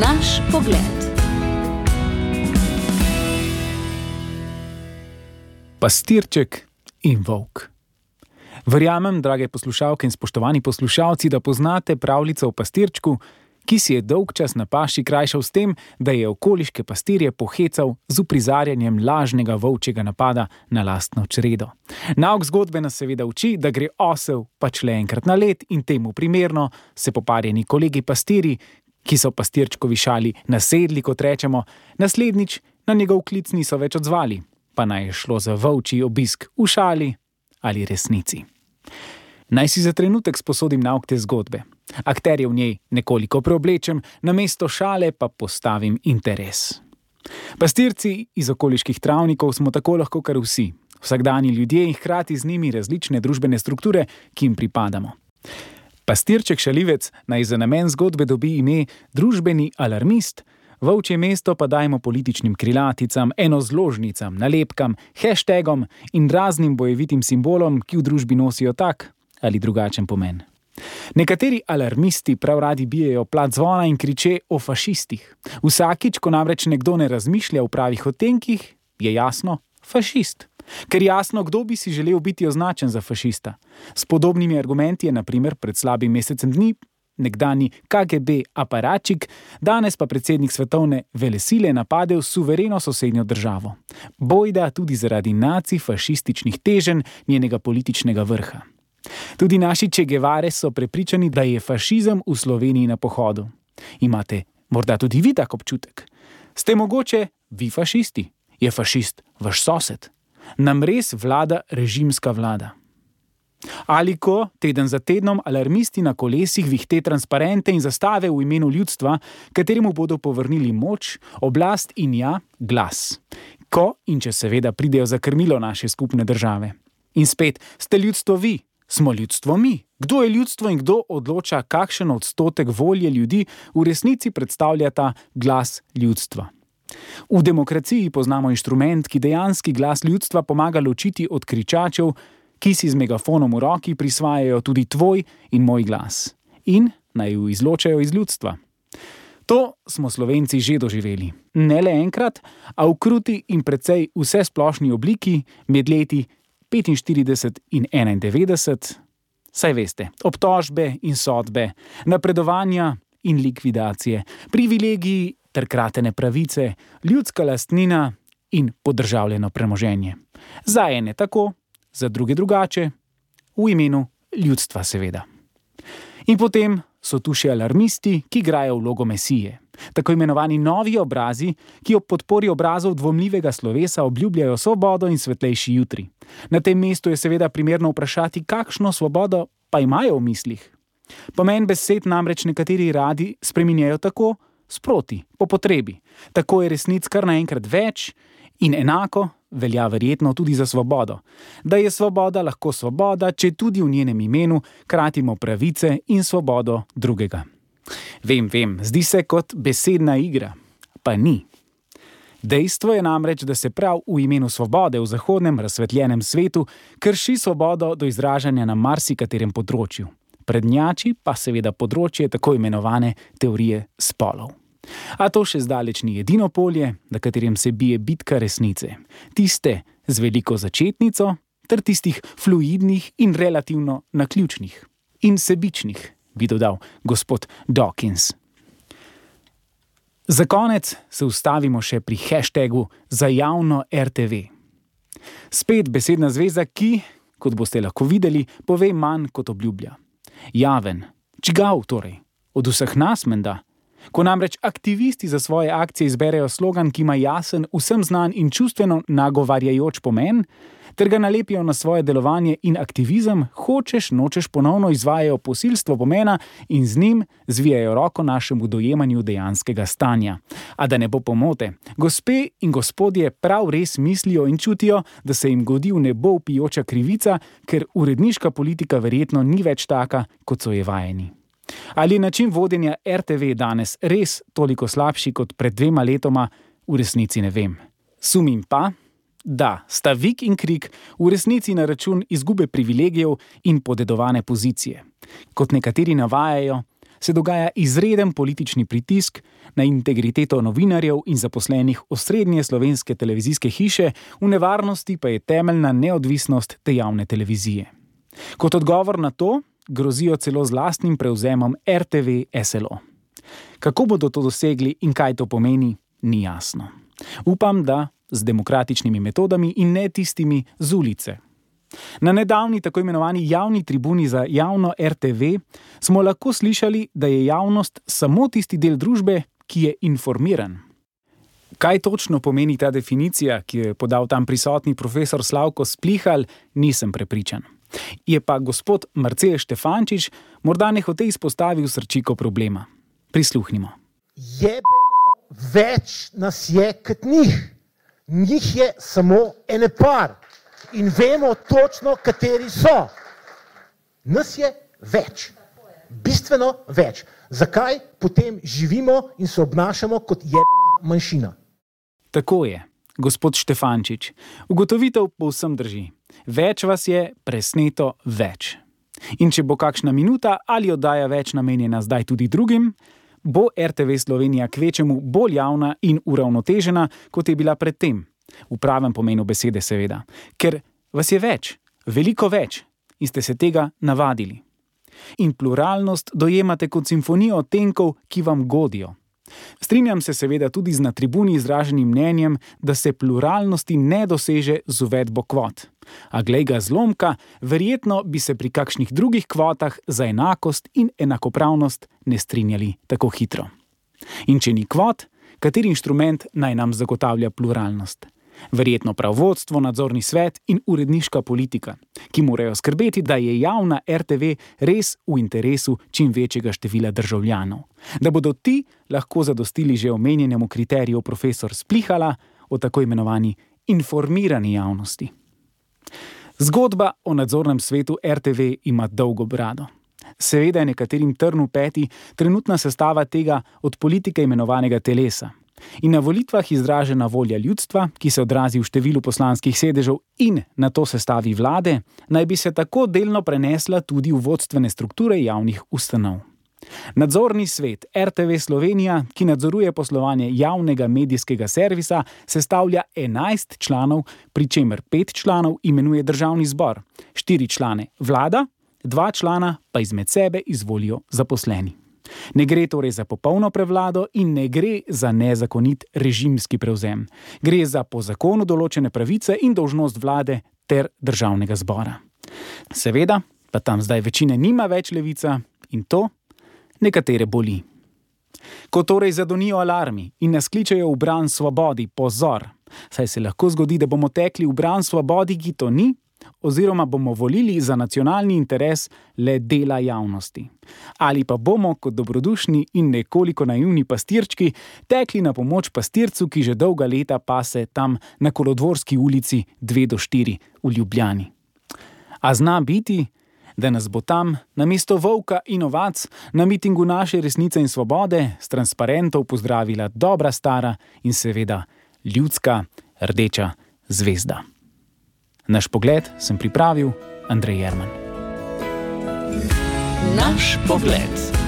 Naš pogled. Pastirček in volk. Verjamem, drage poslušalke in spoštovani poslušalci, da poznate pravljico o pastirčku, ki si je dolgčas na paši krajšal s tem, da je okoliške pastirje pohecal z uprizarjanjem lažnega volčjega napada na lastno čredo. Nauk zgodbe nas seveda uči, da gre osel pač le enkrat na let in temu primerno se poparjeni kolegi pastirji, ki so pastirčkovi šali nasedli, kot rečemo, naslednjič na njegov klic niso več odzvali, pa naj je šlo za volčji obisk v šali ali resnici. Naj si za trenutek sposodim nauk te zgodbe. Akterje v njej nekoliko preoblečem, namesto šale pa postavim interes. Pastirci iz okoliških travnikov smo tako lahko kar vsi, vsakdanji ljudje in hkrati z njimi različne družbene strukture, ki jim pripadamo. Pastirček šalivec naj za namen zgodbe dobi ime družbeni alarmist, volčje mesto pa dajmo političnim krilaticam, enozložnicam, nalepkam, hashtagom in raznim bojevitim simbolom, ki v družbi nosijo tak ali drugačen pomen. Nekateri alarmisti prav radi bijejo plat zvona in kriče o fašistih. Vsakič, ko namreč nekdo ne razmišlja v pravih odtenkih, je jasno fašist. Ker jasno, kdo bi si želel biti označen za fašista. S podobnimi argumenti je na primer pred slabim mesecem dni nekdani KGB aparačik, danes pa predsednik svetovne velesile napadel suvereno sosednjo državo. Bojda tudi zaradi nacifašističnih teženj njenega političnega vrha. Tudi naši Che Guevare so prepričani, da je fašizem v Sloveniji na pohodu. Imate morda tudi vi tak občutek? Ste mogoče vi fašisti? Je fašist vaš sosed? Nam res vlada režimska vlada? Ali ko teden za tednom alarmisti na kolesih vihte transparente in zastave v imenu ljudstva, kateremu bodo povrnili moč, oblast in glas. Ko in če seveda pridejo za krmilo naše skupne države. In spet, ste ljudstvo vi, smo ljudstvo mi. Kdo je ljudstvo in kdo odloča, kakšen odstotek volje ljudi v resnici predstavlja ta glas ljudstva? V demokraciji poznamo inštrument, ki dejanski glas ljudstva pomaga ločiti od kričačev, ki si z megafonom v roki prisvajajo tudi tvoj in moj glas in naj ju izločajo iz ljudstva. To smo Slovenci že doživeli. Ne le enkrat, a v kruti in precej vsesplošni obliki med leti 45 in 91, saj veste, obtožbe in sodbe, napredovanja in likvidacije, privilegiji ter kratene pravice, ljudska lastnina in podržavljeno premoženje. Za ene tako, za druge drugače, v imenu ljudstva seveda. In potem so tu še alarmisti, ki igrajo vlogo mesije. Tako imenovani novi obrazi, ki ob podpori obrazov dvomljivega slovesa obljubljajo svobodo in svetlejši jutri. Na tem mestu je seveda primerno vprašati, kakšno svobodo pa imajo v mislih. Pomen besed namreč nekateri radi spreminjajo tako, sproti, po potrebi. Tako je resnic kar naenkrat več in enako velja verjetno tudi za svobodo. Da je svoboda lahko svoboda, če tudi v njenem imenu kratimo pravice in svobodo drugega. Vem, zdi se kot besedna igra, pa ni. Dejstvo je namreč, da se prav v imenu svobode v zahodnem razsvetljenem svetu krši svobodo do izražanja na marsikaterem področju. Prednjači pa seveda področje tako imenovane teorije spolov. A to še zdaleč ni edino polje, na katerem se bije bitka resnice. Tiste z veliko začetnico, ter tistih fluidnih in relativno naključnih. In sebičnih, bi dodal gospod Dawkins. Za konec se ustavimo še pri hashtagu za javno RTV. Spet besedna zveza, ki, kot boste lahko videli, pove manj kot obljublja. Javen. Čigav torej? Od vseh nas menda? Ko namreč aktivisti za svoje akcije izberejo slogan, ki ima jasen, vsem znan in čustveno nagovarjajoč pomen, ter ga nalepijo na svoje delovanje in aktivizem, hočeš nočeš ponovno izvajajo posilstvo pomena in z njim zvijajo roko našemu dojemanju dejanskega stanja. A da ne bo pomote, gospe in gospodje prav res mislijo in čutijo, da se jim godi v nebo vpijoča krivica, ker uredniška politika verjetno ni več taka, kot so je vajeni. Ali je način vodenja RTV danes res toliko slabši kot pred 2 letoma, v resnici ne vem. Sumim pa, da sta vik in krik v resnici na račun izgube privilegijev in podedovane pozicije. Kot nekateri navajajo, se dogaja izreden politični pritisk na integriteto novinarjev in zaposlenih osrednje slovenske televizijske hiše, v nevarnosti pa je temeljna neodvisnost te javne televizije. Kot odgovor na to grozijo celo z lastnim prevzemom RTV SLO. Kako bodo to dosegli in kaj to pomeni, ni jasno. Upam, da z demokratičnimi metodami in ne tistimi z ulice. Na nedavni tako imenovani javni tribuni za javno RTV smo lahko slišali, da je javnost samo tisti del družbe, ki je informiran. Kaj točno pomeni ta definicija, ki jo je podal tam prisotni profesor Slavko Splihal, nisem prepričan. Je pa gospod Marcel Štefančič morda nehote izpostavil srčiko problema. Prisluhnimo. Jebeno več nas je kot njih. Njih je samo ene par. In vemo točno, kateri so. Nas je več. Bistveno več. Zakaj potem živimo in se obnašamo kot jebena manjšina? Tako je, gospod Štefančič. Ugotovitev povsem drži. Več vas je, presneto več. In če bo kakšna minuta ali oddaja več namenjena zdaj tudi drugim, bo RTV Slovenija kvečemu bolj javna in uravnotežena, kot je bila predtem. V pravem pomenu besede seveda. Ker vas je več, veliko več in ste se tega navadili. In pluralnost dojemate kot simfonijo odtenkov, ki vam godijo. Strinjam se seveda tudi z na tribuni izraženim mnenjem, da se pluralnosti ne doseže z uvedbo kvot. A glej ga zlomka, verjetno bi se pri kakšnih drugih kvotah za enakost in enakopravnost ne strinjali tako hitro. In če ni kvot, kateri inštrument naj nam zagotavlja pluralnost? Verjetno prav vodstvo, nadzorni svet in uredniška politika, ki morajo skrbeti, da je javna RTV res v interesu čim večjega števila državljanov. Da bodo ti lahko zadostili že omenjenemu kriteriju profesor Splihala o tako imenovani informirani javnosti. Zgodba o nadzornem svetu RTV ima dolgo brado. Seveda je nekaterim trn v peti trenutna sestava tega od politike imenovanega telesa. In na volitvah izražena volja ljudstva, ki se odrazi v številu poslanskih sedežev in na to sestavi vlade, naj bi se tako delno prenesla tudi v vodstvene strukture javnih ustanov. Nadzorni svet RTV Slovenija, ki nadzoruje poslovanje javnega medijskega servisa, sestavlja 11 članov, pri čemer 5 članov imenuje državni zbor, 4 člane vlada, 2 člana pa izmed sebe izvolijo zaposleni. Ne gre torej za popolno prevlado in ne gre za nezakonit režimski prevzem. Gre za po zakonu določene pravice in dolžnost vlade ter državnega zbora. Seveda pa tam zdaj večine nima več levica in to nekatere boli. Ko torej zadonijo alarmi in nas kličejo v bran svobodi, pozor, saj se lahko zgodi, da bomo tekli v bran svobodi, ki to ni, oziroma bomo volili za nacionalni interes le dela javnosti. Ali pa bomo kot dobrodušni in nekoliko naivni pastirčki tekli na pomoč pastircu, ki že dolga leta pase tam na Kolodvorski ulici 2 do 4 v Ljubljani. A zna biti, da nas bo tam namesto volka in ovac na mitingu Naše resnice in svobode s transparentov pozdravila dobra stara in seveda ljudska rdeča zvezda. Naš pogled sem pripravil Andrej Jerman. Naš pogled.